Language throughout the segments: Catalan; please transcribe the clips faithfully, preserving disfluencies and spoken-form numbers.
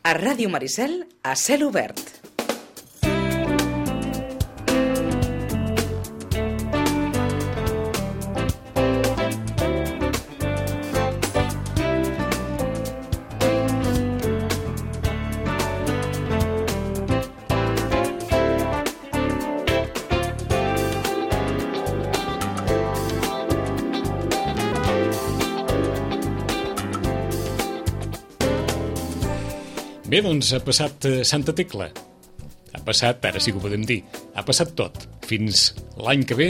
A Ràdio Maricel, a cel obert. Bé, doncs ha passat Santa Tecla. Ha passat, ara sí que ho podem dir, ha passat tot. Fins l'any que ve,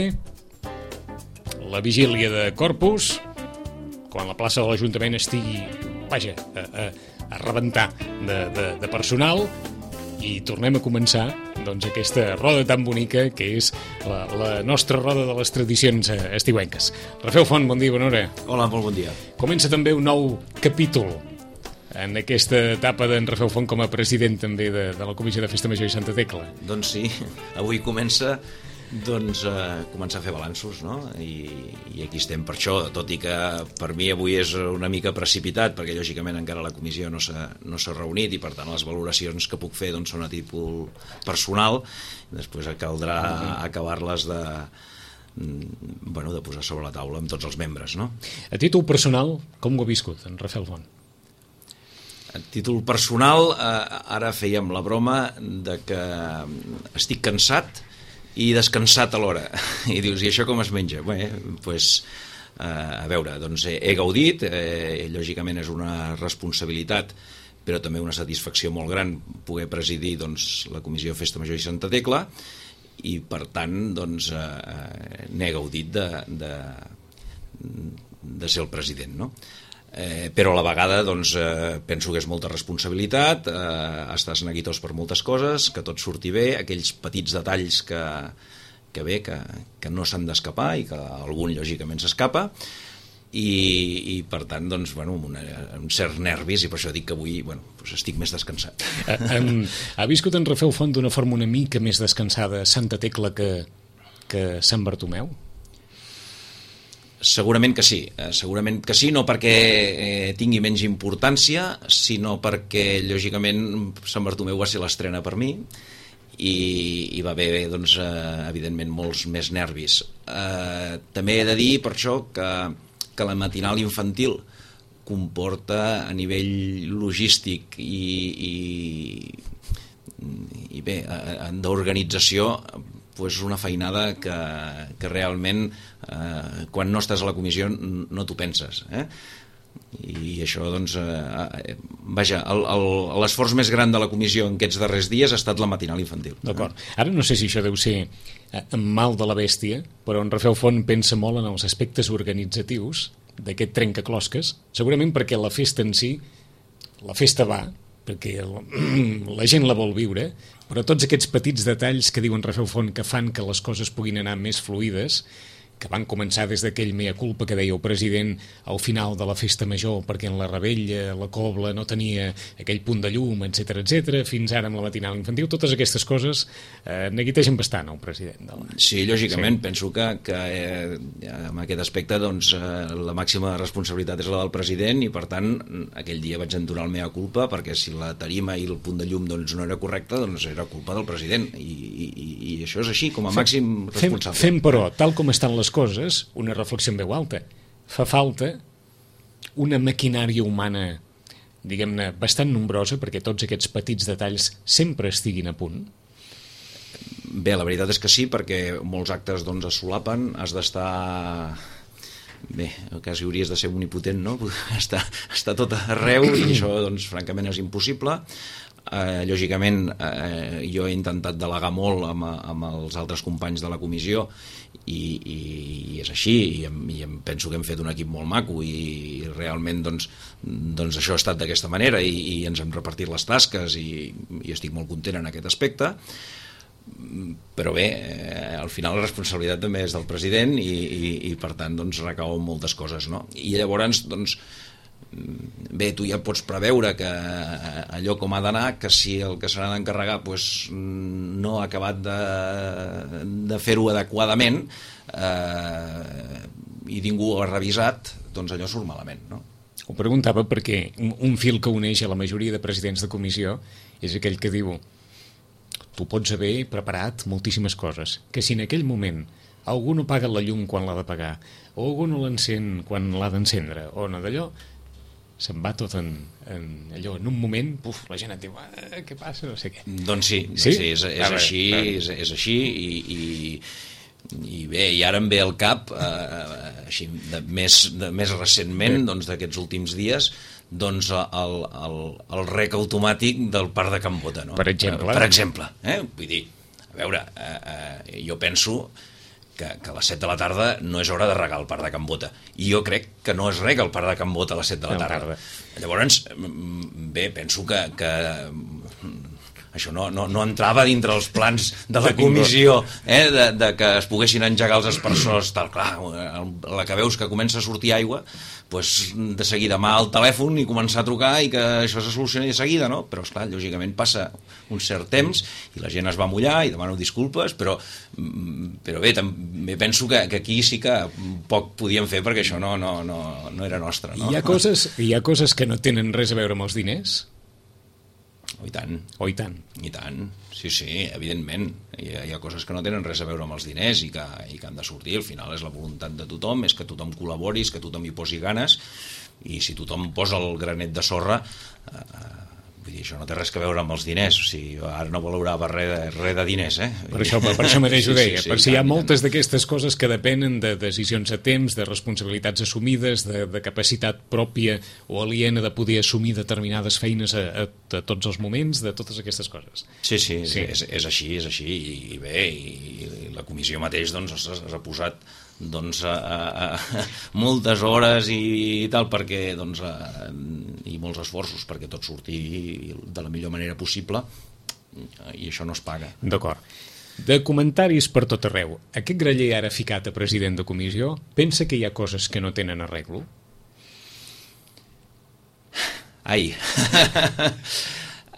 la vigília de Corpus, quan la plaça de l'Ajuntament estigui, vaja, a, a, a rebentar de, de, de personal, i tornem a començar doncs, aquesta roda tan bonica que és la, la nostra roda de les tradicions estiuenques. Rafael Font, bon dia, bona hora. Hola, molt bon dia. Comença també un nou capítol en aquesta etapa d'en Rafael Font com a president també de, de la Comissió de Festa Major i Santa Tecla. Doncs sí, avui comença doncs, a començar a fer balanços, no? I, i aquí estem per això, tot i que per mi avui és una mica precipitat, perquè lògicament encara la comissió no s'ha no s'ha reunit i per tant les valoracions que puc fer doncs, són a títol personal, després caldrà uh-huh. acabar-les de, bueno, de posar sobre la taula amb tots els membres, no? A títol personal, com ho ha viscut en Rafael Font? A títol personal, eh, ara fèiem la broma de que estic cansat i descansat alhora. I dius, i això com es menja? Bé, doncs, eh, a veure, doncs he, he gaudit, eh, lògicament és una responsabilitat, però també una satisfacció molt gran poder presidir doncs, la Comissió de Festa Major i Santa Tecla, i per tant doncs, eh, n'he gaudit de, de, de ser el president, no? Eh, però a la vegada doncs, eh, penso que és molta responsabilitat, eh, estàs neguitós per moltes coses, que tot surti bé, aquells petits detalls que, que bé, que, que no s'han d'escapar i que algun lògicament s'escapa, i, i per tant doncs, bueno, amb una, un cert nervis, i per això dic que avui bueno, doncs estic més descansat. Eh, um, ha viscut en Rafael Font d'una forma una mica més descansada Santa Tecla que, que Sant Bartomeu? Segurament que sí, segurament que sí, no perquè eh, tingui menys importància, sinó perquè, lògicament, Sant Bartomeu va ser l'estrena per mi i hi va haver, doncs, eh, evidentment, molts més nervis. Eh, també he de dir, per això, que, que la matinal infantil comporta a nivell logístic i, i, i bé, d'organització, pues una feinada que, que realment eh, quan no estàs a la comissió no t'ho penses, eh? I això doncs eh, vaja, l'esforç més gran de la comissió en aquests darrers dies ha estat la matinal infantil. D'acord. Ara no sé si això deu ser en mal de la bèstia, però en Rafael Font pensa molt en els aspectes organitzatius d'aquest trencaclosques, segurament perquè la festa en si, la festa va, perquè la gent la vol viure, però tots aquests petits detalls que diuen Rafael Font que fan que les coses puguin anar més fluïdes, que van començar des d'aquell mea culpa que deia el president al final de la festa major, perquè en la Rebella, la Cobla, no tenia aquell punt de llum, etcètera, etcètera, fins ara amb la matinal infantil, totes aquestes coses eh, neguitegen bastant el president. De la... Sí, lògicament, sí. Penso que, que eh, en aquest aspecte doncs, eh, la màxima responsabilitat és la del president i, per tant, aquell dia vaig entonar el mea culpa perquè si la tarima i el punt de llum doncs, no era correcte, doncs era culpa del president i, i, i això és així, com a màxim responsable. Fem, fem però, tal com estan les coses, una reflexió en veu alta. Fa falta una maquinària humana, diguem-ne, bastant nombrosa perquè tots aquests petits detalls sempre estiguin a punt? Bé, la veritat és que sí, perquè molts actes doncs, es solapen, has d'estar... Bé, quasi hauries de ser omnipotent, no? Està, està tot arreu i això, doncs, francament, és impossible. Eh, lògicament, eh, jo he intentat delegar molt amb, amb els altres companys de la comissió i, i, i és així, i em, i em penso que hem fet un equip molt maco i, i realment doncs, doncs això ha estat d'aquesta manera i, i ens hem repartit les tasques i, i estic molt content en aquest aspecte. Però bé, eh, al final la responsabilitat també és del president i, i, i per tant doncs, recau moltes coses, no? I llavors doncs, bé, tu ja pots preveure que allò com ha d'anar, que si el que se n'ha d'encarregar pues, no ha acabat de, de fer-ho adequadament eh, i ningú ho ha revisat, doncs allò surt malament, no? Ho preguntava perquè un fil que uneix a la majoria de presidents de comissió és aquell que diu: tu pots haver preparat moltíssimes coses, que si en aquell moment algú no paga la llum quan l'ha de pagar, o algú no l'encén quan l'ha d'encendre, o no d'allò, se'n va tot en, en allò, en un moment, puf, la gent et diu, ah, què passa, no sé què. Doncs sí, sí? sí és, és, veure, així, és, és així, i, i, i bé, i ara em ve al cap, eh, així, de, més, de, més recentment, doncs d'aquests últims dies, doncs el, el, el rec automàtic del parc de Can Bota, no? Per exemple. Per exemple, eh? Vull dir, a veure, eh, eh, jo penso que, que a les set de la tarda no és hora de regar el parc de Can Bota, i jo crec que no es rega el parc de Can Bota a les set de la tarda. Llavors, bé, penso que, que això no, no, no entrava dintre els plans de la comissió, eh, de, de que es poguessin engegar els aspersors, tal, clar, a la que veus que comença a sortir aigua, pues, de seguida mà al telèfon i començar a trucar i que això se solucioni de seguida, no? Però, esclar, lògicament passa un cert temps i la gent es va mullar i demano disculpes, però, però bé, també penso que, que aquí sí que poc podíem fer perquè això no, no, no, no era nostre, no? Hi ha coses, hi ha coses que no tenen res a veure amb els diners? Oh, i tant. Oh, i tant. I tant, sí, sí, evidentment. Hi ha, hi ha coses que no tenen res a veure amb els diners i que, i que han de sortir. Al final és la voluntat de tothom, és que tothom col·labori, és que tothom hi posi ganes, i si tothom posa el granet de sorra, eh, vull dir, això no té res a veure amb els diners. O sigui, ara no valorava res de, res de diners, eh? Per això, per això mateix ho deia, sí, sí, sí, per si hi ha tant, moltes d'aquestes coses que depenen de decisions a temps, de responsabilitats assumides, de, de capacitat pròpia o aliena de poder assumir determinades feines a, a, a tots els moments, de totes aquestes coses. Sí, sí, sí. És, és així, és així, i, i bé, i, i la comissió mateix doncs, es, es ha posat doncs, a, a, a moltes hores i, i tal, perquè doncs, a, i molts esforços perquè tot surti de la millor manera possible, i això no es paga. D'acord. De comentaris per tot arreu, aquest graller ara ficat a president de comissió pensa que hi ha coses que no tenen arreglo? Ai,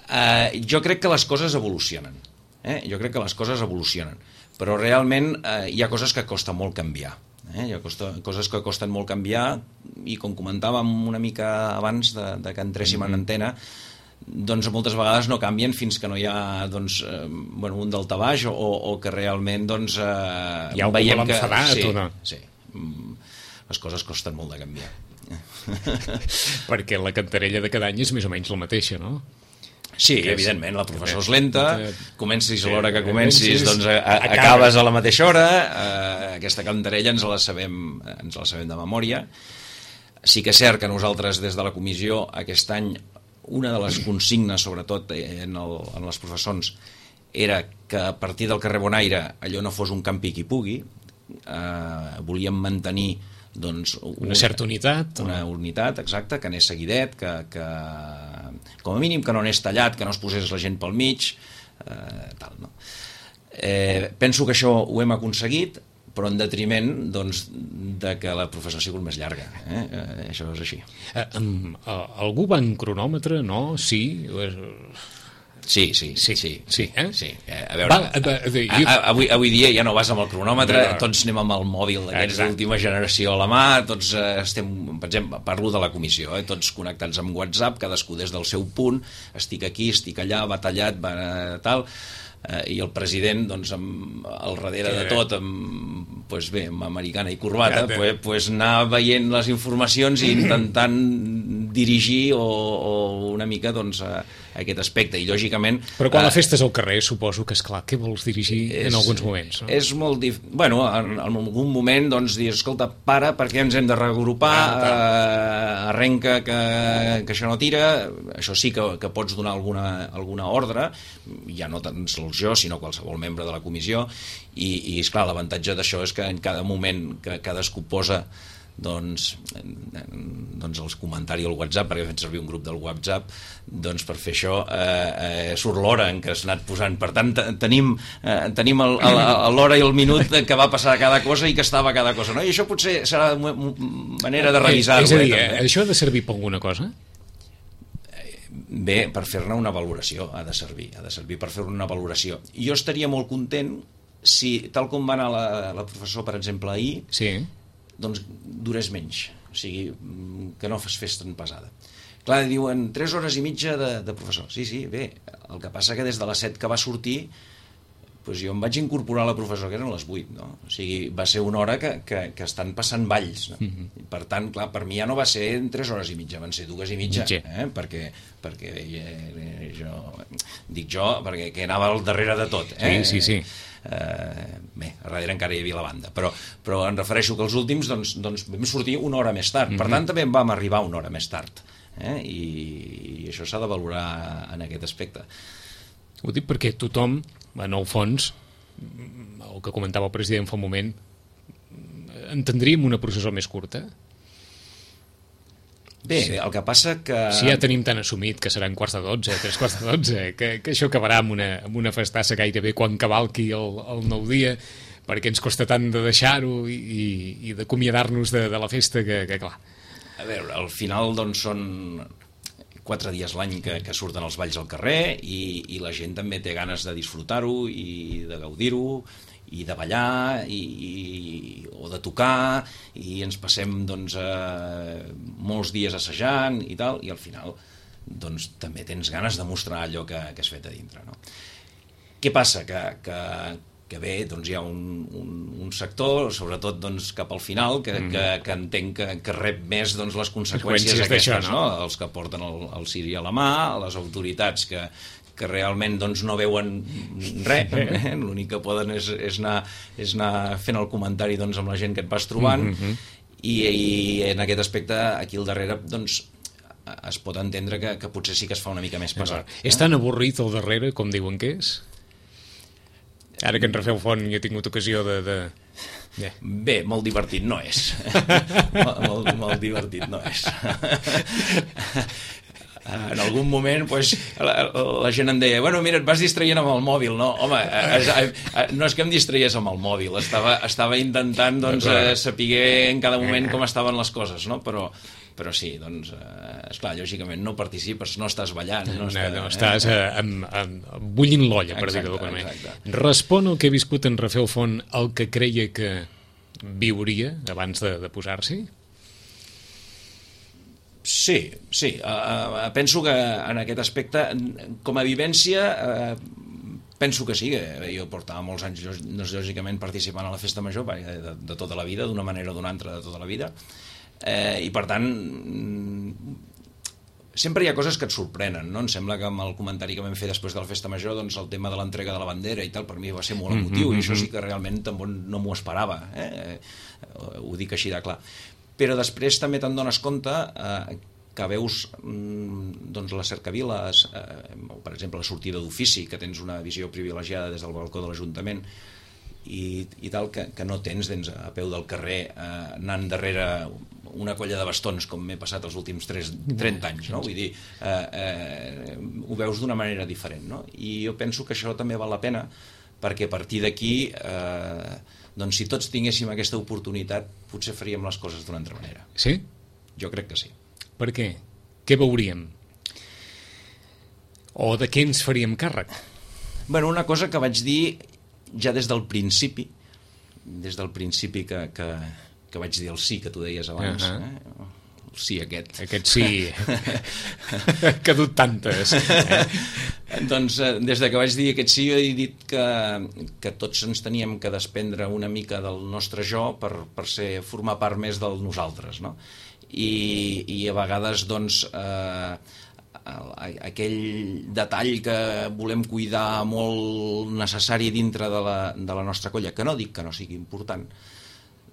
uh, jo crec que les coses evolucionen, eh? jo crec que les coses evolucionen, però realment eh, hi ha coses que costa molt canviar, eh? hi ha costa, coses que costen molt canviar, i com comentàvem una mica abans de, de que entréssim mm-hmm. en antena, doncs moltes vegades no canvien fins que no hi ha doncs, eh, bueno, un daltabaix o, o que realment doncs, eh, hi ha algú veiem que l'ha enfadat sí, o no? Sí, les coses costen molt de canviar. Perquè la cantarella de cada any és més o menys la mateixa, no? Sí, que evidentment, la professó és lenta, comencis a l'hora que comencis, comencis, doncs a, a, acabes a la mateixa hora, eh, aquesta cantarella ens la sabem, ens la sabem de memòria. Sí que és cert que nosaltres des de la comissió aquest any una de les consignes, sobretot en, el, en les professons, era que a partir del carrer Bonaire allò no fos un campi qui pugui, eh, volíem mantenir doncs, una, una certa unitat una o... unitat, exacte, que anés seguidet, que, que com a mínim que no anés tallat, que no es posés la gent pel mig, eh, tal, no? Eh, penso que això ho hem aconseguit, però en detriment doncs, de que la professó ha sigut més llarga, eh? Eh, això és així. Eh, um, uh, algú va en cronòmetre, no? Sí? Sí, sí, sí, sí, sí, sí, eh? sí. Eh, a veure, va, de, de, jo... a, avui, avui dia ja no vas amb el cronòmetre, no, no. Tots anem amb el mòbil d'aquests d'última generació a la mà, tots eh, estem, per exemple, parlo de la comissió, eh, tots connectats amb WhatsApp, cadascú des del seu punt, estic aquí, estic allà, va tallat, va tal, eh, i el president, doncs, amb, al darrere de tot, amb, pues bé, amb americana i corbata, ja, pues, pues anar veient les informacions i intentant dirigir o, o una mica, doncs, a, a aquest aspecte, i lògicament... Però quan eh, la festa és al carrer, suposo que, esclar, què vols dirigir és, en alguns moments? No? És molt dif... Bueno, en, en algun moment, doncs, dir, escolta, para, perquè ens hem de reagrupar, ah, eh, arrenca que, que això no tira, això sí que, que pots donar alguna, alguna ordre, ja no tan sols jo, sinó qualsevol membre de la comissió, i, i esclar, l'avantatge d'això és que en cada moment que cadascú posa doncs, doncs els comentaris al WhatsApp, perquè fem servir un grup del WhatsApp, doncs per fer això eh, eh, surt l'hora en què has anat posant. Per tant, tenim, eh, tenim l'hora i el minut que va passar cada cosa i que estava cada cosa, no? I això potser serà una manera de revisar-ho. És a dir, eh, això ha de servir per alguna cosa? Bé, per fer-ne una valoració ha de servir, ha de servir per fer-ne una valoració. Jo estaria molt content si, tal com va anar la, la professora, per exemple, ahir, sí. doncs durés menys. O sigui, que no es fes tan pesada. Clar, diuen tres hores i mitja de, de professor. Sí, sí, bé, el que passa que des de les set que va sortir, doncs jo em vaig incorporar a la professora, que eren les vuit, no? O sigui, va ser una hora que, que, que estan passant balls, no? Mm-hmm. Per tant, clar, per mi ja no va ser en tres hores i mitja, van ser dues i mitja, eh? perquè, perquè eh, jo, dic jo, perquè que anava al darrere de tot. Eh? Sí, sí, sí. Eh, bé, a darrere encara hi havia la banda, però, però em refereixo que els últims doncs, doncs vam sortir una hora més tard, mm-hmm. Per tant també vam arribar una hora més tard, eh? I, i això s'ha de valorar en aquest aspecte. Ho dic perquè tothom, en el fons, el que comentava el president fa un moment, entendríem una processó més curta? Bé, sí. El que passa que... Si ja tenim tan assumit que seran quarts de dotze, tres quarts de dotze, que, que això acabarà amb una, amb una festassa gairebé quan cavalqui el, el nou dia, perquè ens costa tant de deixar-ho i, i, i d'acomiadar-nos de, de la festa que, que clar. A veure, al final doncs són quatre dies l'any que, que surten els balls al carrer i, i la gent també té ganes de disfrutar-ho i de gaudir-ho i de ballar i, i, o de tocar i ens passem doncs, eh, molts dies assajant i tal, i al final doncs, també tens ganes de mostrar allò que, que has fet a dintre, no? Què passa? Que, que, que bé, doncs hi ha un, un, un sector, sobretot doncs, cap al final, que, mm. que, que entenc que, que rep més doncs, les conseqüències aquestes, no? Els que porten el, el ciri a la mà, les autoritats que, que realment doncs, no veuen res, eh? L'únic que poden és, és, anar, és anar fent el comentari doncs, amb la gent que et vas trobant, mm-hmm. i, i en aquest aspecte aquí al darrere doncs, es pot entendre que, que potser sí que es fa una mica més pesat. Eh? És tan avorrit al darrere com diuen que és? Ara que en Rafel Font jo he tingut ocasió de... de... Yeah. Bé, molt divertit no és. molt, molt, molt divertit no és. En algun moment pues, la, la gent em deia, bueno, mira, et vas distraient amb el mòbil, no? Home, es, no és que em distraiés amb el mòbil, estava, estava intentant doncs, saber en cada moment com estaven les coses, no? Però, però sí, doncs, eh, esclar, lògicament no participes, no estàs ballant. No, estàs, no, no estàs eh, amb, amb, bullint l'olla, per dir-ho d'alguna manera. Respon el que ha viscut en Rafel Font el que creia que viuria abans de, de posar-s'hi? Sí, sí. Uh, penso que en aquest aspecte, com a vivència, uh, penso que sí, que jo portava molts anys, lògicament, participant a la festa major de, de tota la vida, d'una manera o d'una altra de tota la vida, eh, i per tant sempre hi ha coses que et sorprenen, no? Em sembla que amb el comentari que vam fer després de la festa major, doncs el tema de l'entrega de la bandera i tal, per mi va ser molt emotiu, mm-hmm. i això sí que realment tampoc no m'ho esperava, eh? Ho dic així de clar. Però després també te'n dones compte eh, que veus mm, doncs les cercaviles, eh, per exemple la sortida d'ofici, que tens una visió privilegiada des del balcó de l'Ajuntament, i, i tal, que, que no tens doncs, a peu del carrer eh, anant darrere una colla de bastons com m'he passat els últims trenta anys, no? Vull dir, eh, eh, ho veus d'una manera diferent, no? I jo penso que això també val la pena, perquè a partir d'aquí eh, doncs si tots tinguéssim aquesta oportunitat potser faríem les coses d'una altra manera. Sí? Jo crec que sí. Per què? Què veuríem? O de què ens faríem càrrec? Bueno, una cosa que vaig dir ja des del principi, des del principi que, que, que vaig dir el sí que tu deies abans, uh-huh. eh? El sí aquest. Aquest sí, que ha dut tantes. Eh? Doncs des de que vaig dir aquest sí he dit que, que tots ens teníem que desprendre una mica del nostre jo per, per ser, formar part més del nosaltres, no? I, i a vegades doncs eh, aquell detall que volem cuidar molt necessari dintre de la, de la nostra colla, que no dic que no sigui important,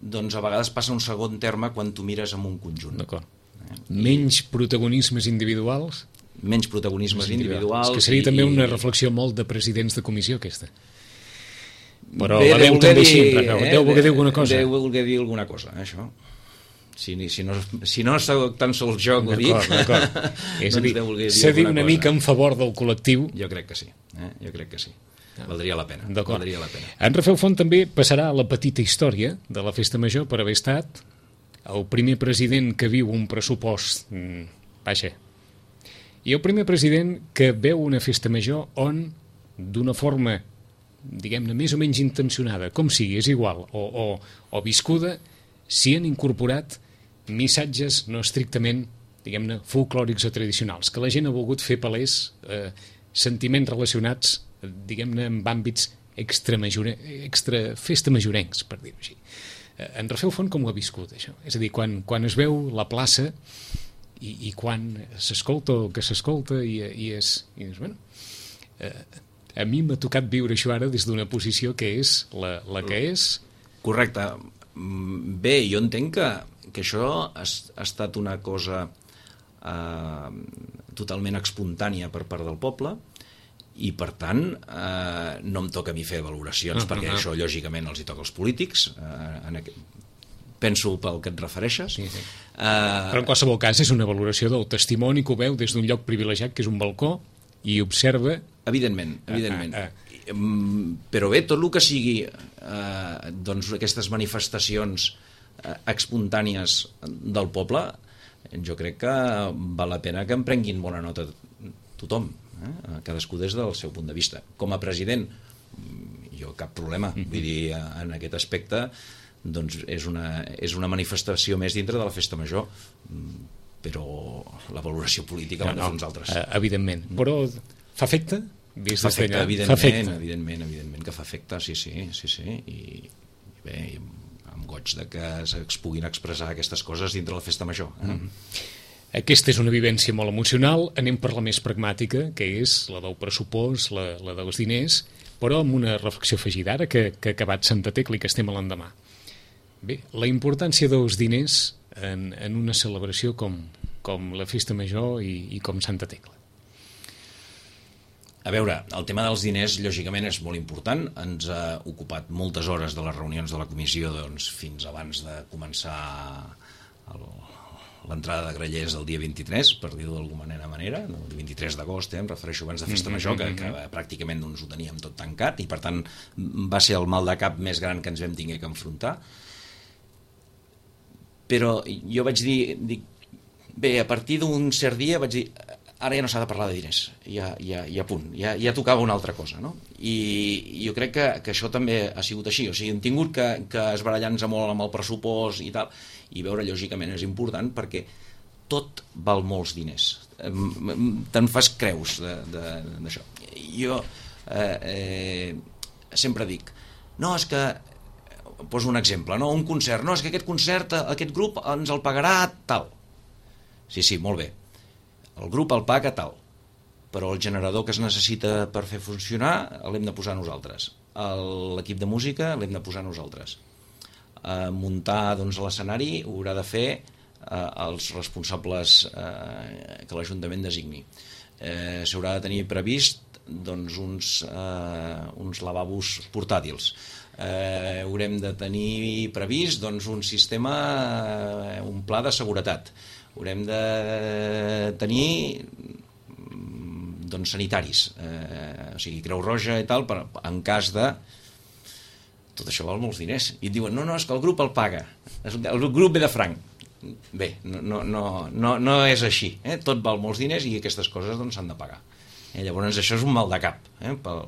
doncs a vegades passa un segon terme quan tu mires en un conjunt. D'acord. Eh? Menys protagonismes individuals? Menys protagonismes individuals. És que seria i, també una reflexió molt de presidents de comissió aquesta. Però bé, la veu també dir, així, eh? Deu voler dir alguna cosa. Deu voler dir alguna cosa, eh, això. Si, si, no, si no soc tan sols jo que ho dic, és a dir, s'ha dit una cosa. Mica en favor del col·lectiu. Jo crec que sí, eh? Jo crec que sí. Valdria la pena. Valdria la pena. En Rafel Font també passarà a la petita història de la Festa Major per haver estat el primer president que viu un pressupost mm, vaja, i el primer president que veu una Festa Major on, d'una forma, diguem-ne, més o menys intencionada, com sigui, és igual, o, o, o viscuda, s'hi han incorporat missatges no estrictament, diguem-ne, folclòrics o tradicionals, que la gent ha volgut fer palès eh, sentiments relacionats, eh, diguem-ne, amb àmbits extra, extra festa majorencs, per dir-ho així. Eh, en Rafel Font com ho ha viscut, això? És a dir, quan, quan es veu la plaça i, i quan s'escolta el que s'escolta i, i és... I és bueno, eh, a mi m'ha tocat viure això ara des d'una posició que és la, la que és. Correcte. Bé, jo entenc que, que això ha, ha estat una cosa eh, totalment espontània per part del poble i, per tant, eh, no em toca a mi fer valoracions, uh-huh. perquè això, lògicament, els hi toca als polítics. Eh, en aquest... Penso pel que et refereixes. Sí, sí. Eh... Però, en qualsevol cas, és una valoració del testimoni que ho veu des d'un lloc privilegiat, que és un balcó, i observa... Evidentment, evidentment. Ah, ah, ah. Però bé, tot el que sigui eh, doncs aquestes manifestacions eh, espontànies del poble, jo crec que val la pena que en prenguin bona nota tothom, eh? Cadascú des del seu punt de vista. Com a president, jo cap problema. Mm-hmm. Vull dir, en aquest aspecte doncs és una, és una manifestació més dintre de la festa major, però la valoració política l'han de fer uns altres. Evidentment, però fa efecte? Fa efecte, evidentment, fa efecte. evidentment, evidentment que fa efecte, sí, sí, sí, sí. I, i bé, amb goig de que es puguin expressar aquestes coses dintre la festa major. Eh? Mm-hmm. Aquesta és una vivència molt emocional, anem per la més pragmàtica, que és la del pressupost, la, la dels diners, però amb una reflexió afegida, ara que, que ha acabat Santa Tecla i que estem a l'endemà. Bé, la importància dels diners en, en una celebració com, com la Festa Major i, i com Santa Tecla. A veure, el tema dels diners, lògicament, és molt important. Ens ha ocupat moltes hores de les reunions de la comissió doncs, fins abans de començar l'entrada de grellers el dia vint-i-tres, per dir-ho d'alguna manera, el vint-i-tres d'agost, eh, em refereixo abans de Festa Major, que, que pràcticament doncs, ho teníem tot tancat, i per tant va ser el mal de cap més gran que ens vam tinguer que enfrontar. Però jo vaig dir, dic, bé, a partir d'un cert dia vaig dir, ara ja no s'ha de parlar de diners, ja, ja, ja punt, ja, ja tocava una altra cosa, no? I jo crec que, que això també ha sigut així, o sigui, hem tingut que, que esbarallar-nos molt amb el pressupost i tal, i veure, lògicament, és important perquè tot val molts diners. Te'n fas creus d'això. Jo eh, eh, sempre dic, no, és que poso un exemple, no? Un concert, no, és que aquest concert, aquest grup ens el pagarà tal. Sí, sí, molt bé. El grup el paga tal, però el generador que es necessita per fer funcionar l'hem de posar nosaltres. L'equip de música l'hem de posar nosaltres. Eh, muntar doncs, l'escenari ho haurà de fer eh, els responsables eh, que l'Ajuntament designi. Eh, S'haurà de tenir previst doncs, uns, eh, uns lavabos portàtils. Eh, haurem de tenir previst doncs, un sistema, eh, un pla de seguretat. Haurem de tenir doncs, sanitaris, eh, o sigui, Creu Roja i tal, per, en cas de... Tot això val molts diners. I et diuen, no, no, és que el grup el paga. El grup ve de franc. Bé, no, no, no, no, no és així. Eh? Tot val molts diners i aquestes coses doncs, s'han de pagar. Eh? Llavors això és un mal de cap, eh? pel,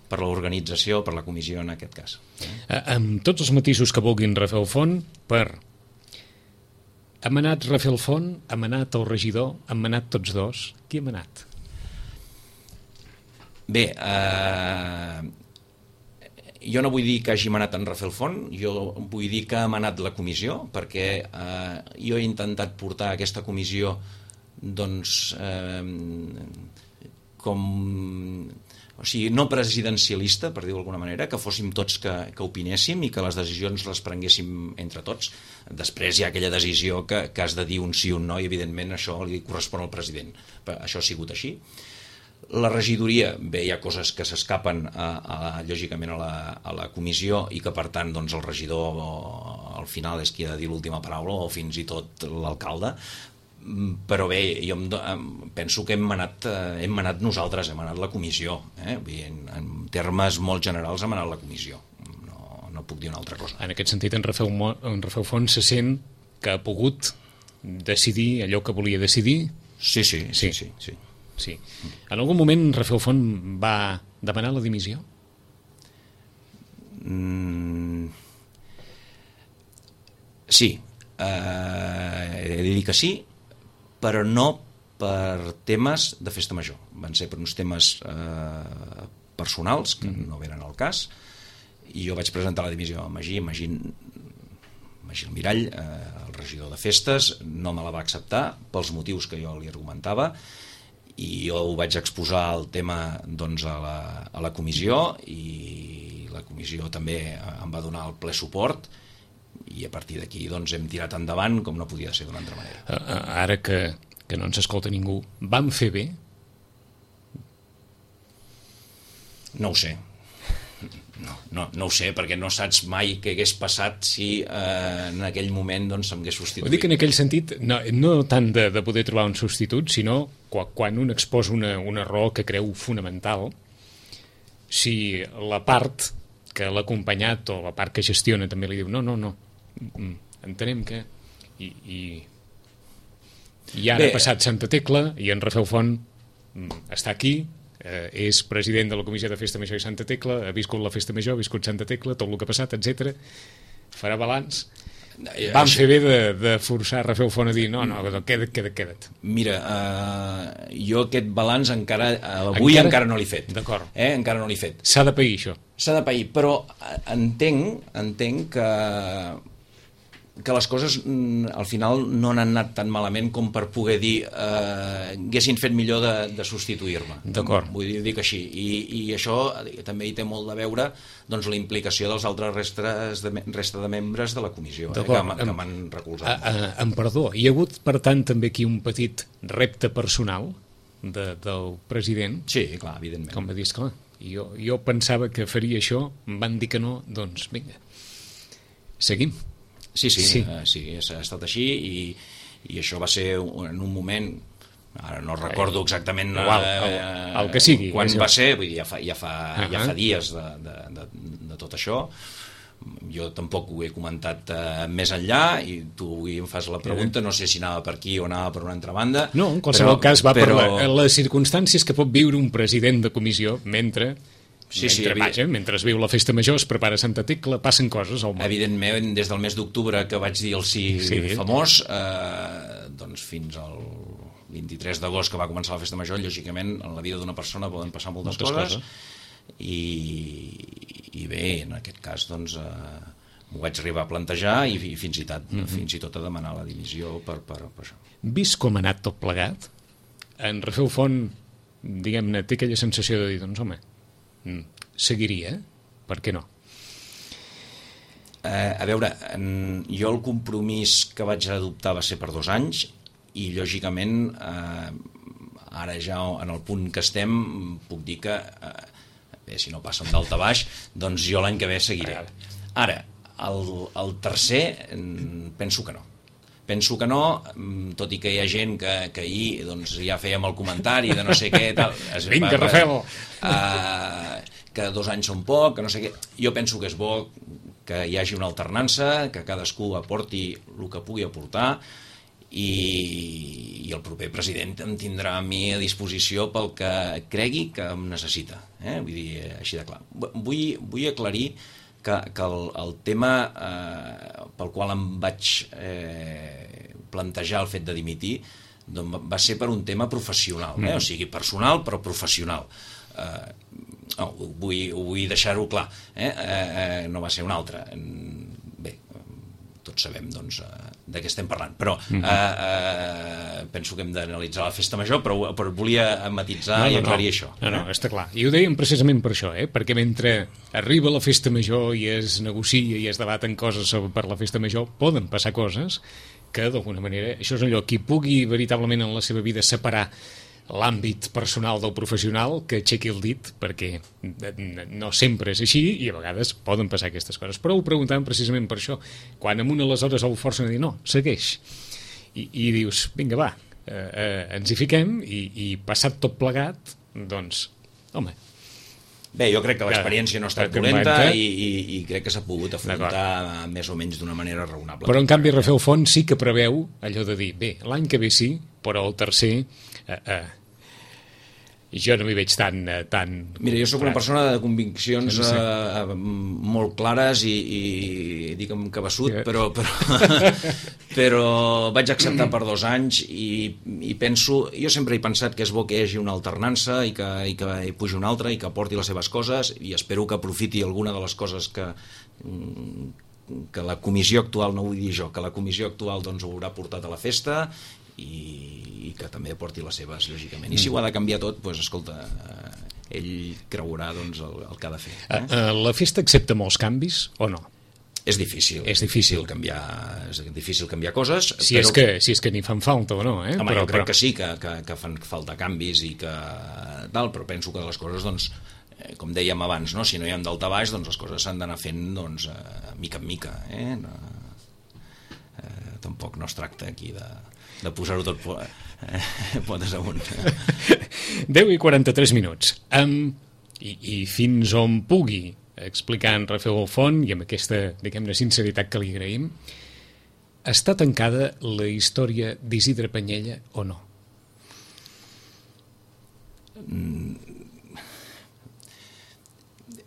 per l'organització, per la comissió en aquest cas. Eh, amb tots els matisos que vulguin Rafel Font, per... Ha manat Rafel Font, ha manat el regidor, han manat tots dos. Qui ha manat? Bé, eh, jo no vull dir que hagi manat en Rafel Font, jo vull dir que ha manat la comissió, perquè eh, jo he intentat portar aquesta comissió doncs, eh, com... O sigui, no presidencialista, per dir-ho d'alguna manera, que fóssim tots que, que opinéssim i que les decisions les prenguéssim entre tots. Després hi ha aquella decisió que, que has de dir un sí o un no i, evidentment, això li correspon al president. Però això ha sigut així. La regidoria, bé, hi ha coses que s'escapen, a, a, lògicament, a la, a la comissió i que, per tant, doncs, el regidor al final és qui ha de dir l'última paraula o fins i tot l'alcalde. Però bé, jo em, em penso que hem manat, eh, hem manat nosaltres, hem manat la comissió, eh? en, en termes molt generals hem manat la comissió, no, no puc dir una altra cosa. En aquest sentit, en Rafel, en Rafel Font se sent que ha pogut decidir allò que volia decidir? Sí, sí, sí, sí, sí, sí. sí. En algun moment Rafel Font va demanar la dimissió? Mm... Sí. eh, he de dir que sí, però no per temes de festa major. Van ser per uns temes eh, personals, que mm. no veren al cas, i jo vaig presentar la dimissió a Magí, Magí, Magí Almirall, eh, el regidor de festes, no me la va acceptar pels motius que jo li argumentava, i jo ho vaig exposar el tema doncs, a, la, a la comissió, i la comissió també em va donar el ple suport, i a partir d'aquí doncs, hem tirat endavant com no podia ser d'una altra manera. Ara que, que no ens escolta ningú, vam fer bé? No ho sé. No, no, no ho sé, perquè no saps mai què hagués passat si eh, en aquell moment doncs, s'hagués substituït. Ho dic en aquell sentit, no, no tant de, de poder trobar un substitut, sinó quan, quan un exposa una, una raó que creu fonamental, si la part que l'ha acompanyat o la part que gestiona també li diu no, no, no, entenem que... I, i, i ara ha passat Santa Tecla i en Rafel Font està aquí, Eh, és president de la Comissió de Festa Major i Santa Tecla, ha viscut la Festa Major, ha viscut Santa Tecla, tot el que ha passat, etcètera. Farà balanç. Vam fer bé de, de forçar Rafel Font a dir no, no, queda't, queda't, queda't. Mira, eh, jo aquest balanç encara, avui encara, encara no l'he fet. D'acord. Eh? Encara no l'he fet. S'ha de pair, això. S'ha de pair, però entenc, entenc que que les coses al final no han anat tan malament com per poder dir eh, haguessin fet millor de, de substituir-me. D'acord. Vull dir, dic així. I, i això també hi té molt de veure doncs, la implicació dels altres restes de, resta de membres de la comissió eh, que, que m'han recolzat. A, a, em perdó, hi ha hagut, per tant, també aquí un petit repte personal de, del president? Sí, clar, evidentment. Com va dir, esclar, jo, jo pensava que faria això, em van dir que no, doncs vinga, seguim. Sí, sí, sí. Uh, sí, ha estat així i, i això va ser en un moment, ara no recordo exactament Igual, el, el que sigui, quan això. Va ser, vull dir, ja fa, ja fa, uh -huh. ja fa dies de, de, de, de tot això. Jo tampoc ho he comentat uh, més enllà i tu avui em fas la pregunta, no sé si anava per aquí o anava per una altra banda. No, en qualsevol però, cas va però... per la, les circumstàncies que pot viure un president de comissió mentre... Sí, mentre, sí, vaja, mentre es viu la Festa Major, es prepara Santa Tecla, passen coses al món. Evidentment, des del mes d'octubre que vaig dir el sí, sí. famós, eh, doncs fins al vint-i-tres d'agost que va començar la Festa Major, lògicament en la vida d'una persona poden passar moltes, moltes coses, coses. I, i bé, en aquest cas doncs eh, m'ho vaig arribar a plantejar i, i fins i tot, mm -hmm. fins i tot a demanar la dimissió per, per, per això. Vist com ha anat tot plegat, en Rafel Font, diguem-ne, té aquella sensació de dir, doncs home, seguiria, per què no? Eh, a veure, en, jo el compromís que vaig adoptar va ser per dos anys i lògicament eh, ara ja en el punt que estem puc dir que eh, bé, si no passen d'alt a baix doncs jo l'any que ve seguiré. Ara, el, el tercer penso que no. Penso que no, tot i que hi ha gent que, que ahir doncs, ja fèiem el comentari de no sé què tal, es, vinga, Rafel! Uh, que dos anys són poc, que no sé què. Jo penso que és bo que hi hagi una alternança, que cadascú aporti el que pugui aportar i, i el proper president em tindrà a mi a disposició pel que cregui que em necessita. Eh? Vull dir, així de clar. Vull, vull aclarir que, que el, el tema eh, pel qual em vaig eh, plantejar el fet de dimitir doncs va ser per un tema professional, eh? Mm. O sigui, personal però professional. Eh, no, vull, vull deixar-ho clar, eh? Eh, no va ser un altre. Bé, tots sabem doncs, de què estem parlant, però mm-hmm. eh, eh, penso que hem d'analitzar la Festa Major, però, però volia matitzar no, no, i aclarir no. això. No, no, està clar. I ho dèiem precisament per això, eh? Perquè mentre arriba la Festa Major i es negocia i es debaten coses sobre, per la Festa Major, poden passar coses que, d'alguna manera, això és allò, qui pugui veritablement en la seva vida separar l'àmbit personal del professional, que aixequi el dit, perquè no sempre és així i a vegades poden passar aquestes coses. Però ho preguntàvem precisament per això. Quan amb una aleshores el forcen a dir no, segueix. I, i dius, vinga, va, eh, eh, ens hi fiquem i, i passat tot plegat, doncs, home... Bé, jo crec que l'experiència no ha estat dolenta i, i, i crec que s'ha pogut afrontar més o menys d'una manera raonable. Però en canvi Rafel Font sí que preveu allò de dir, bé, l'any que ve sí, però el tercer... Eh, eh, jo no m'hi veig tan... tan Mira, jo sóc una persona de conviccions no sé. eh, molt clares i, i dic amb cabeçut, sí. però, però, però vaig acceptar per dos anys i, i penso, jo sempre he pensat que és bo que hi hagi una alternança i que, i que hi pugi una altra i que porti les seves coses, i espero que aprofiti alguna de les coses que que la comissió actual, no vull dir jo, que la comissió actual doncs ho haurà portat a la festa i, i que també aporti les seves, lògicament. I si ho ha de canviar tot, doncs, escolta, eh, ell creurà doncs, el, el que ha de fer. Eh? Uh, la festa accepta molts canvis o no? És difícil. És difícil. canviar, és difícil canviar coses. Si, però... és que, si és que n'hi fan falta o no, eh? Home, però, jo crec però... que sí, que, que, que fan falta canvis i que tal, però penso que les coses, doncs, eh, com dèiem abans, no? Si no hi ha daltabaix, doncs les coses s'han d'anar fent doncs, eh, mica en mica. Eh? No, eh, tampoc no es tracta aquí de, de posar-ho tot eh, potes amunt. deu i quaranta-tres minuts. Um, i, I fins on pugui explicar en Rafael Font, i amb aquesta, diguem-ne, sinceritat que li agraïm, està tancada la història d'Isidre Panyella o no?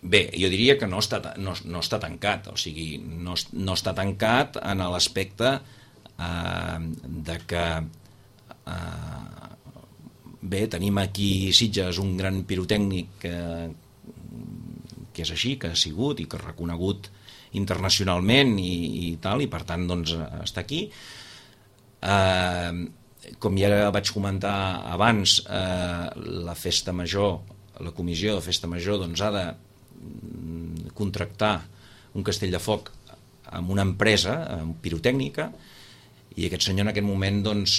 Bé, jo diria que no està, no, no està tancat, o sigui, no, no està tancat en l'aspecte eh, de que eh, bé, tenim aquí Sitges un gran pirotècnic que, que és així, que ha sigut i que ha reconegut internacionalment i, i tal, i per tant doncs està aquí. Eh, com ja vaig comentar abans, eh, la festa major, la comissió de festa major doncs ha de contractar un castell de foc amb una empresa pirotècnica, i aquest senyor en aquest moment doncs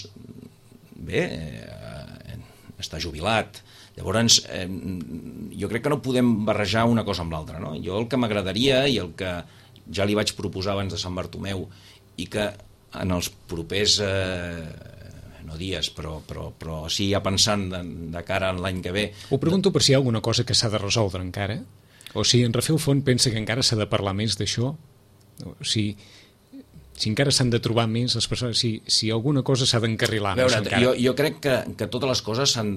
bé, eh, està jubilat. Llavors eh, jo crec que no podem barrejar una cosa amb l'altra, no? Jo el que m'agradaria, i el que ja li vaig proposar abans de Sant Bartomeu, i que en els propers eh, no dies, però, però, però sí ja pensant de, de cara a l'any que ve. Ho pregunto per si hi ha alguna cosa que s'ha de resoldre encara, o si en Rafael Font pensa que encara s'ha de parlar més d'això, o si, si encara s'han de trobar més les persones, si, si alguna cosa s'ha d'encarrilar més encara. Jo, jo crec que, que totes les coses s'han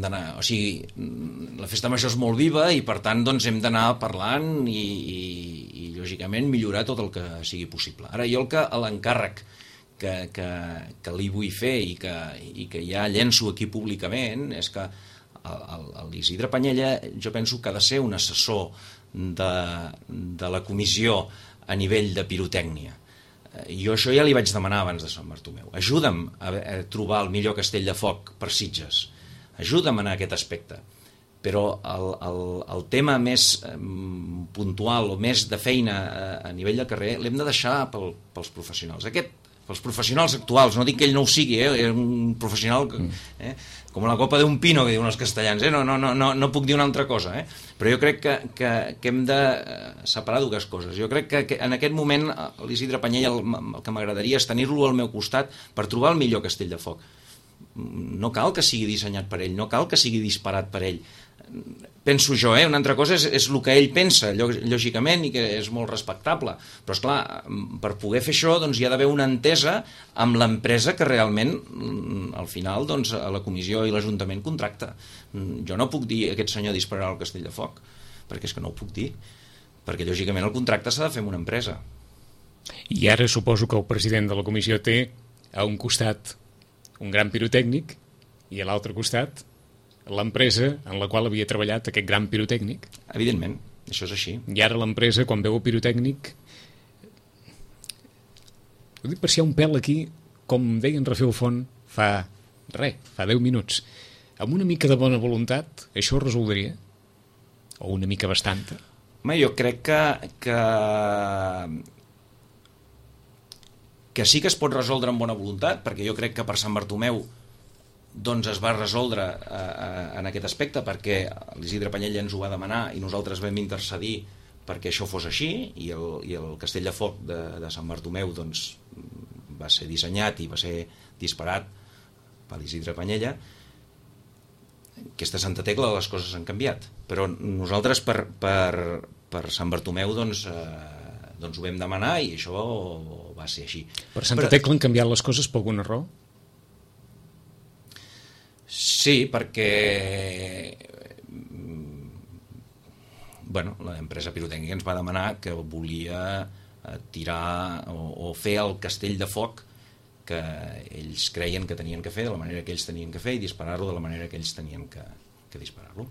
d'anar, o sigui, la festa major és molt viva i per tant doncs hem d'anar parlant i, i, i lògicament millorar tot el que sigui possible. Ara jo el que l'encàrrec que, que, que li vull fer i que, i que ja llenço aquí públicament és que l'Isidre Panyella jo penso que ha de ser un assessor de, de la comissió a nivell de pirotècnia. Jo això ja li vaig demanar abans de Sant Bartomeu. Ajuda'm a, a trobar el millor castell de foc per Sitges. Ajuda'm en aquest aspecte. Però el, el, el tema més eh, puntual o més de feina a, a nivell de carrer l'hem de deixar pel, pels professionals. Aquest, pels professionals actuals, no dic que ell no ho sigui, eh? És un professional que, eh? com la copa d'un pino, que diuen els castellans, eh? no, no, no, no, no puc dir una altra cosa, eh? Però jo crec que, que, que hem de separar dues coses. Jo crec que, que en aquest moment l'Isidre Panyella el, el que m'agradaria és tenir-lo al meu costat per trobar el millor castell de foc. No cal que sigui dissenyat per ell, no cal que sigui disparat per ell. Penso jo, eh? Una altra cosa és, és el que ell pensa, lògicament, i que és molt respectable. Però, esclar, per poder fer això doncs, hi ha d'haver una entesa amb l'empresa que realment, al final, doncs, la comissió i l'Ajuntament contracta. Jo no puc dir aquest senyor dispararà el castell de foc, perquè és que no ho puc dir. Perquè, lògicament, el contracte s'ha de fer amb una empresa. I ara suposo que el president de la comissió té a un costat un gran pirotècnic i a l'altre costat l'empresa en la qual havia treballat aquest gran pirotècnic. Evidentment, això és així. I ara l'empresa, quan veu el pirotècnic, ho dic per si hi ha un pèl aquí, com deia en Rafael Font fa res, fa deu minuts, amb una mica de bona voluntat això ho resoldria? O una mica bastanta? Home, jo crec que, que que sí que es pot resoldre amb bona voluntat, perquè jo crec que per Sant Bartomeu doncs es va resoldre eh, en aquest aspecte, perquè l'Isidre Panyella ens ho va demanar i nosaltres vam intercedir perquè això fos així, i el, i el castell de foc de, de Sant Bartomeu doncs, va ser dissenyat i va ser disparat per l'Isidre Panyella. Aquesta Santa Tecla les coses han canviat, però nosaltres per, per, per Sant Bartomeu doncs, eh, doncs ho vam demanar i això va ser així. Per Santa però, Tecla han canviat les coses per alguna raó? Sí, perquè bueno, l'empresa pirotècnica ens va demanar que volia tirar o, o fer el castell de foc que ells creien que tenien que fer de la manera que ells tenien que fer i disparar-lo de la manera que ells tenien que, que disparar-lo.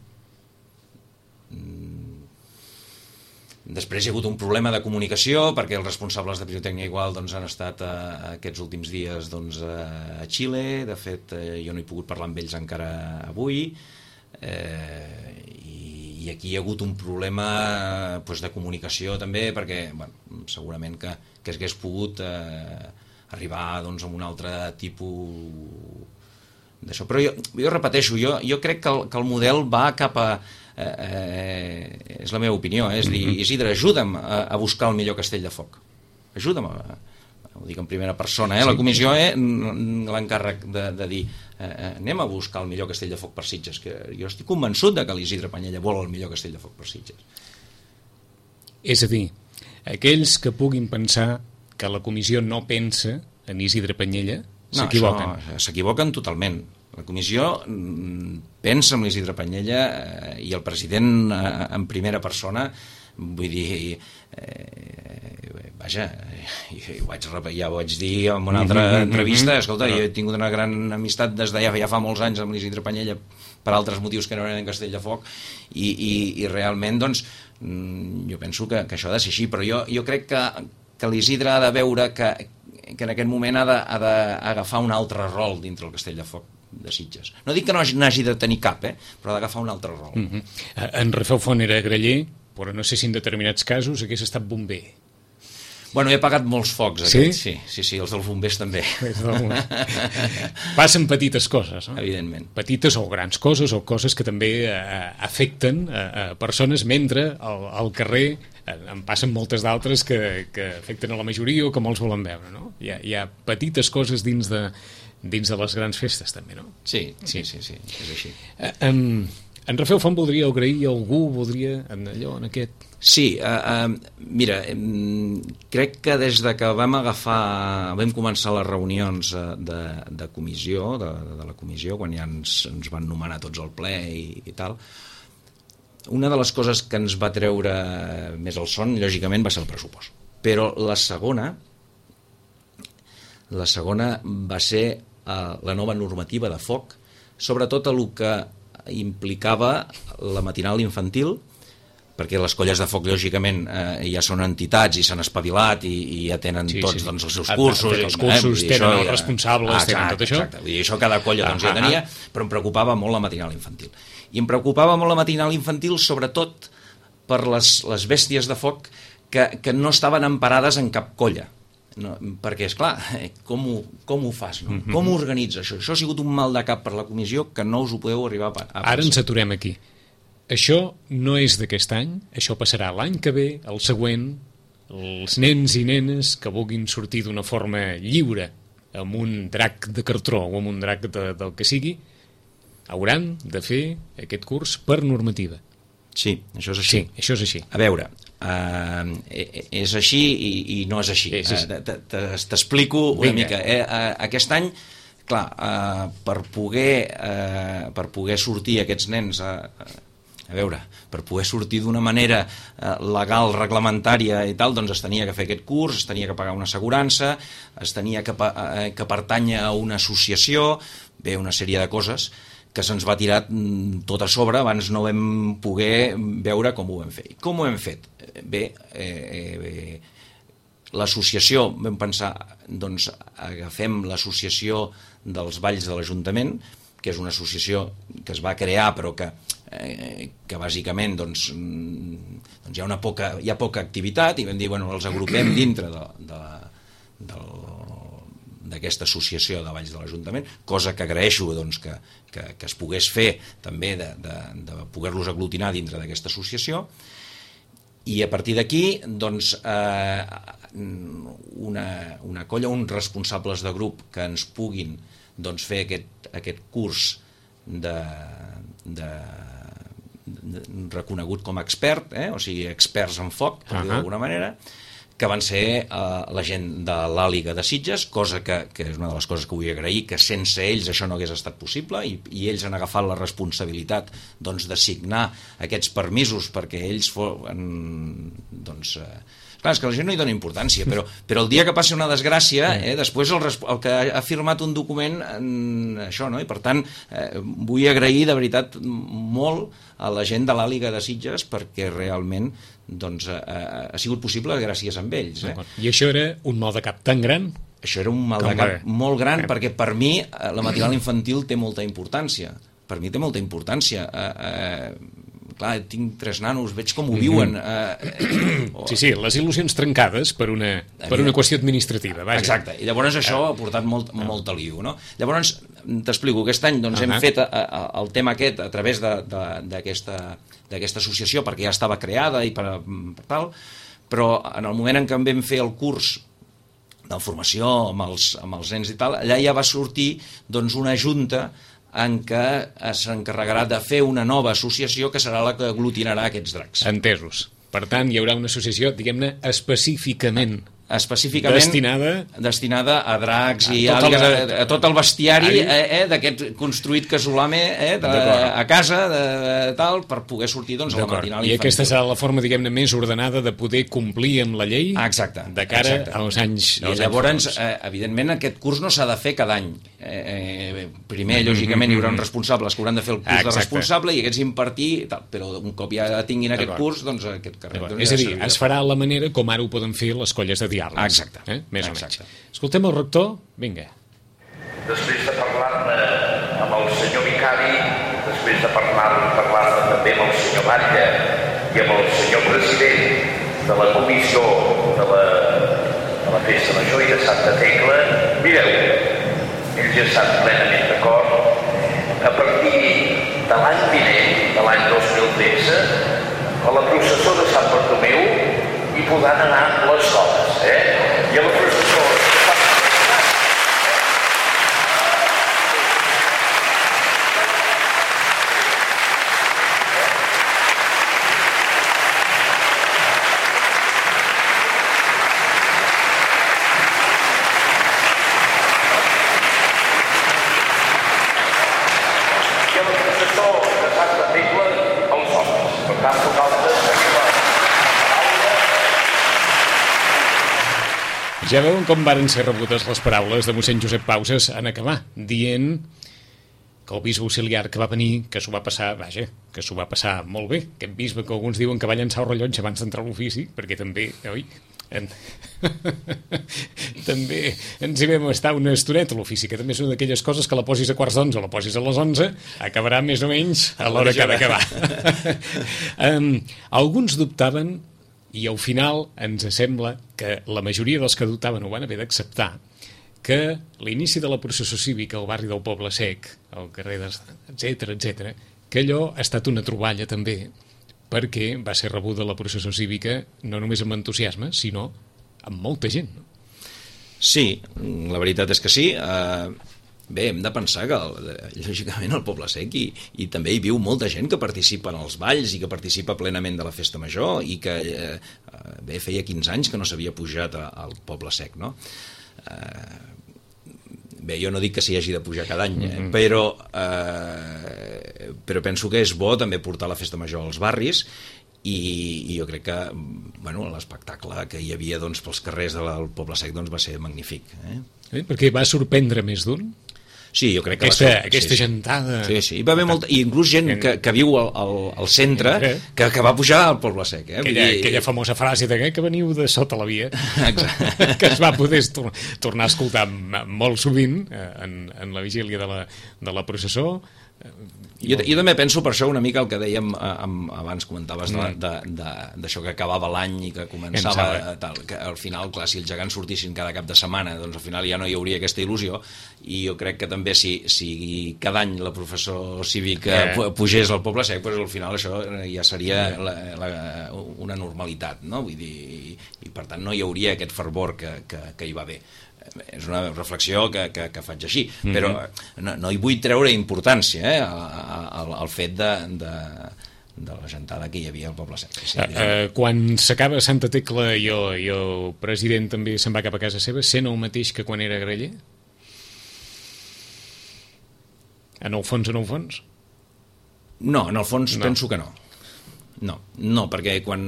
Després hi ha hagut un problema de comunicació perquè els responsables de pirotècnica igual doncs, han estat a, a aquests últims dies doncs, a, a Xile. De fet, eh, jo no he pogut parlar amb ells encara avui. Eh, i, i aquí hi ha hagut un problema doncs, de comunicació també perquè bueno, segurament que, que s'hagués pogut eh, arribar doncs, a un altre tipus d'això. Però jo, jo repeteixo, jo, jo crec que el, que el model va cap a eh, eh, és la meva opinió, eh? És dir, Isidre, ajuda'm a, a buscar el millor castell de foc, ajuda'm a, ho dic en primera persona, eh? La comissió eh, l'encàrrec de, de dir eh, anem a buscar el millor castell de foc per Sitges, que jo estic convençut de que l'Isidre Panyella vol el millor castell de foc per Sitges. És a dir, aquells que puguin pensar que la comissió no pensa en Isidre Panyella s'equivoquen. No, s'equivoquen totalment. La comissió pensa en l'Isidre Panyella eh, i el president eh, en primera persona, vull dir eh, vaja eh, ho vaig, ja ho vaig dir en una altra entrevista, escolta, jo he tingut una gran amistat des de ja, ja fa molts anys amb l'Isidre Panyella per altres motius que no eren en Castell de Foc i, i, i realment doncs jo penso que, que això ha de ser així, però jo, jo crec que, que l'Isidre ha de veure que, que en aquest moment ha d'agafar un altre rol dintre el Castell de Foc de Sitges. No dic que no n'hagi de tenir cap, eh? Però ha d'agafar un altre rol. Mm-hmm. En Rafel Font era graller, però no sé si en determinats casos hagués estat bomber. Bueno, he apagat molts focs, sí? Aquest. Sí, sí, sí, els dels bombers també. Passen petites coses, no? Evidentment. Petites o grans coses, o coses que també eh, afecten a, a persones, mentre al, al carrer eh, en passen moltes d'altres que, que afecten a la majoria o que molts volen veure, no? Hi ha, hi ha petites coses dins de, dins de les grans festes, també, no? Sí, sí, sí, sí, és així. Eh, en, en Rafel Font voldria agrair a algú, voldria en allò, en aquest... Sí, uh, uh, mira, um, crec que des de que vam agafar, vam començar les reunions uh, de, de comissió, de, de la comissió, quan ja ens, ens van nomenar tots al ple i, i tal, una de les coses que ens va treure més el son, lògicament, va ser el pressupost. Però la segona, la segona va ser uh, la nova normativa de foc, sobretot el que implicava la matinal infantil, perquè les colles de foc, lògicament, eh, ja són entitats i s'han espavilat i, i ja tenen sí, tots sí. Doncs, els seus cursos. Han fet els cursos, eh? Tenen els responsables, ah, exacte, tenen tot això. Exacte. Vull dir, això cada colla doncs, ah, ja tenia, ah, però em preocupava molt la matinal infantil. I em preocupava molt la matinal infantil, sobretot per les, les bèsties de foc que, que no estaven emparades en cap colla. No, perquè, esclar, com ho, com ho fas? No? Mm-hmm. Com ho organitzes això? Això ha sigut un mal de cap per la comissió que no us ho podeu arribar a, a pensar. Ara ens aturem aquí. Això no és d'aquest any, això passarà l'any que ve, el següent, els nens i nenes que vulguin sortir d'una forma lliure, amb un drac de cartró o amb un drac de, del que sigui, hauran de fer aquest curs per normativa. Sí, això és així. Sí, això és així. A veure, uh, és així i, i no és així. És així. Uh, T'explico una Vinga. mica. Eh? Uh, aquest any, clar, uh, per, poder, uh, per poder sortir aquests nens... Uh, a veure, per poder sortir d'una manera eh, legal, reglamentària i tal, doncs es tenia que fer aquest curs, es tenia que pagar una assegurança, es tenia que, eh, que pertànyer a una associació, bé, una sèrie de coses que se'ns va tirar tot a sobre, abans no vam poder veure com ho vam fer. I com ho hem fet? Bé, eh, eh, l'associació, vam pensar, doncs agafem l'associació dels balls de l'Ajuntament, que és una associació que es va crear però que Eh, que bàsicament doncs, doncs hi ha una poca, hi ha poca activitat i vam dir, bueno, els agrupem dintre de, de, de, d'aquesta associació de Balls de l'Ajuntament, cosa que agraeixo doncs, que, que, que es pogués fer també de, de, de poder-los aglutinar dintre d'aquesta associació i a partir d'aquí doncs, eh, una, una colla, uns responsables de grup que ens puguin doncs, fer aquest, aquest curs de, de reconegut com a expert, eh? O sigui, experts en foc, per dir-ho d'alguna manera, que van ser uh, la gent de l'Àliga de Sitges, cosa que, que és una de les coses que vull agrair, que sense ells això no hagués estat possible, i, i ells han agafat la responsabilitat doncs, de signar aquests permisos perquè ells foren, doncs, uh, clar, és que la gent no hi dona importància, però, però el dia que passi una desgràcia, eh, després el, el que ha firmat un document, en això, no? I per tant, eh, vull agrair de veritat molt a la gent de l'Àliga de Sitges perquè realment doncs, eh, ha sigut possible gràcies a ells. Eh? I això era un mal de cap tan gran? Això era un mal de cap molt gran, perquè per mi la matinal infantil té molta importància. Per mi té molta importància. Eh, eh, clar, tinc tres nanos, veig com ho viuen. Mm-hmm. eh, sí, sí, les il·lusions trencades per una, per una qüestió administrativa. Vaja. Exacte, i llavors això ha portat molt, molt aliu. No? Llavors, t'explico, aquest any doncs, uh-huh. hem fet a, a, el tema aquest a través d'aquesta associació, perquè ja estava creada i per, per tal, però en el moment en què en vam fer el curs de formació amb els, amb els nens i tal, allà ja va sortir doncs, una junta en què s'encarregarà de fer una nova associació que serà la que aglutinarà aquests dracs. Entesos. Per tant, hi haurà una associació, diguem-ne, específicament específicament destinada, destinada a dracs i a, àligues, el, a, a tot el bestiari eh, eh, d'aquest construït casolame eh, de, a casa de, de, tal, per poder sortir doncs, a la matinal infantil. I aquesta serà la forma, diguem-ne, més ordenada de poder complir amb la llei exacte, de cara exacte. als anys I als llavors, anys eh, evidentment, aquest curs no s'ha de fer cada any. Eh, eh, primer, lògicament, hi haurà uns responsables que hauran de fer el curs exacte. de responsable i aquests impartir, tal, però un cop ja tinguin aquest curs, doncs aquest carrer... Doncs, és a dir, ja es farà la manera com ara ho poden fer les colles de diàleg. Exacte. Eh? Més Exacte. o menys. Escoltem el rector, vinga. Després de parlar-ne amb el senyor vicari, després de parlar-ne parlar també amb el senyor Batlle i amb el senyor president de la comissió de la, de la Festa Major i de Santa Tecla, mireu, ells ja estan plenament d'acord. A partir de l'any vinent, de l'any dos mil tretze, a la processó de Sant Bartomeu hi podran anar les dones, eh? I a la processó de Sant Tecla, els homes. Per tant, nosaltres ja veuen com varen ser rebudes les paraules de mossèn Josep Pauses en acabar, dient que el bisbe auxiliar que va venir, que s'ho va passar, vaja, que s'ho va passar molt bé, aquest bisbe que alguns diuen que va llançar el rellotge abans d'entrar a l'ofici, perquè també, oi, en... també ens hi vam estar una estoneta a l'ofici, que també és una d'aquelles coses que la posis a quarts d'onze o la posis a les onze, acabarà més o menys a l'hora que ha d'acabar. um, alguns dubtaven, i al final ens sembla que la majoria dels que dubtaven ho van haver d'acceptar, que l'inici de la processó cívica al barri del Poble Sec, al carrer de... etcètera, etcètera, que allò ha estat una troballa també, perquè va ser rebuda la processó cívica no només amb entusiasme, sinó amb molta gent. No? Sí, la veritat és que sí. Uh, bé, hem de pensar que, lògicament, al Poble Sec i, i també hi viu molta gent que participa en els balls i que participa plenament de la festa major i que, uh, bé, feia quinze anys que no s'havia pujat a, al Poble Sec, no? Uh, bé, jo no dic que s'hi hagi de pujar cada any, eh? però, eh, però penso que és bo també portar la festa major als barris i, i jo crec que bueno, l'espectacle que hi havia doncs, pels carrers del Poble Sec doncs, va ser magnífic. Eh? Eh? Perquè va sorprendre més d'un? Sí, jo crec que aquesta, va ser, aquesta sí, gentada... Sí, sí. I va haver molta, i inclús gent que, que viu al, al, al centre que, que va pujar al Poble Sec. Eh? Aquella, dir... aquella famosa frase de que veniu de sota la via, que es va poder tor tornar a escoltar molt sovint en, en la vigília de la, de la processó. Jo, jo també penso per això una mica el que dèiem amb, abans comentaves d'això que acabava l'any i que començava tal, que al final, clar, si els gegants sortissin cada cap de setmana, doncs al final ja no hi hauria aquesta il·lusió i jo crec que també si, si cada any la professor cívica eh. pugés al Poble Sec, doncs al final això ja seria la, la, una normalitat, no? Vull dir, i, i per tant no hi hauria aquest fervor que, que, que hi va haver. És una reflexió que, que, que faig així, mm-hmm. però no, no hi vull treure importància eh, al, al fet de, de, de la gentada que hi havia al Poble Sec. Sí, uh, uh, quan s'acaba Santa Tecla i el, i el president també se'n va cap a casa seva, sent el mateix que quan era graller? En el fons, en el fons? No, en el fons no. penso que no. No, no, perquè quan,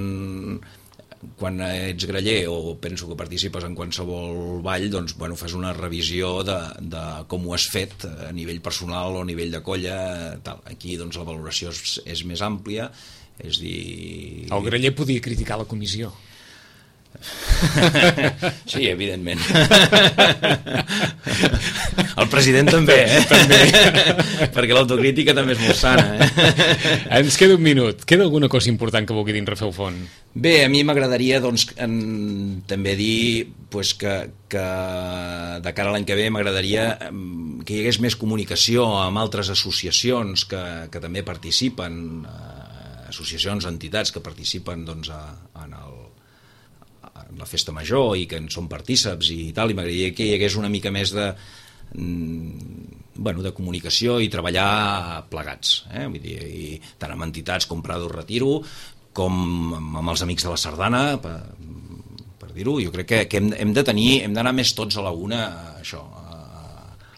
quan ets graller o penso que participes en qualsevol ball, doncs, bueno, fas una revisió de, de com ho has fet a nivell personal o a nivell de colla, tal. Aquí doncs, la valoració és, és més àmplia, és dir... El graller podia criticar la comissió. Sí, evidentment. El president també, eh? També. Perquè l'autocrítica també és molt sana, eh? Ens queda un minut. Queda alguna cosa important que vulgui dir en Rafel Font? Bé, a mi m'agradaria doncs, en, també dir pues, que, que de cara a l'any que ve m'agradaria que hi hagués més comunicació amb altres associacions que, que també participen, eh, associacions, entitats que participen doncs, a, en el la festa major i que en són partíceps i tal, i m'agradaria que hi hagués una mica més de, bueno, de comunicació i treballar plegats, eh? Vull dir, i tant amb entitats com Prado Retiro com amb els Amics de la Sardana, per, per dir-ho. Jo crec que, que hem, hem de tenir, hem d'anar més tots a la una, això,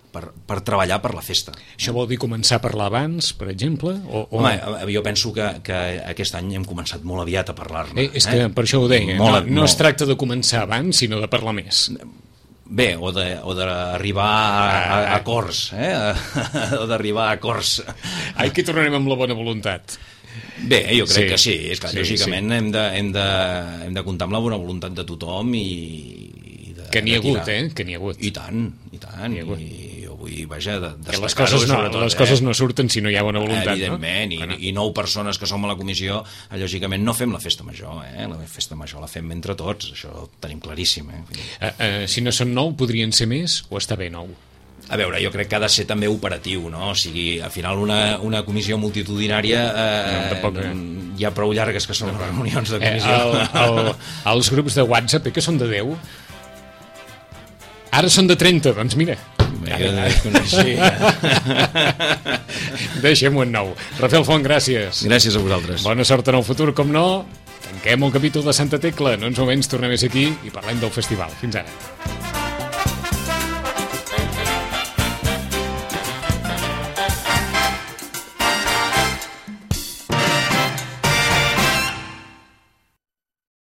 per, per treballar per la festa. Això vol dir començar a parlar abans, per exemple? O, o... Home, jo penso que, que aquest any hem començat molt aviat a parlar-ne. Eh, és que eh? per això ho deia, molt, no, no molt... es tracta de començar abans, sinó de parlar més. Bé, o d'arribar a, a, a acords, eh? o d'arribar a acords. Aquí tornarem amb la bona voluntat. Bé, jo crec sí, que sí, és clar, sí, lògicament sí. Hem, de, hem, de, hem de comptar amb la bona voluntat de tothom i... i de, que n'hi ha hagut, tirar. eh? Que n'hi ha hagut. I tant, i tant, i, i jo vull, vaja, de, que les coses, no, les eh? coses no surten si no hi ha bona voluntat, evidentment, no? i, i nou persones que som a la comissió, lògicament no fem la festa major, eh? La festa major la fem entre tots, això ho tenim claríssim, eh? Uh, uh, si no són nou, podrien ser més o està bé nou? A veure, jo crec que ha de ser també operatiu, no? O sigui, al final una, una comissió multitudinària eh, no, tampoc, eh? Hi ha prou llargues que són les reunions de comissió. Eh, el, el, els grups de WhatsApp, eh, que són de deu? Ara són de trenta, doncs mira. Sí. Deixem-ho en nou. Rafel Font, gràcies. Gràcies a vosaltres. Bona sort en el futur, com no. Tanquem el capítol de Santa Tecla. No ens moments tornem a ser aquí i parlem del festival. Fins ara.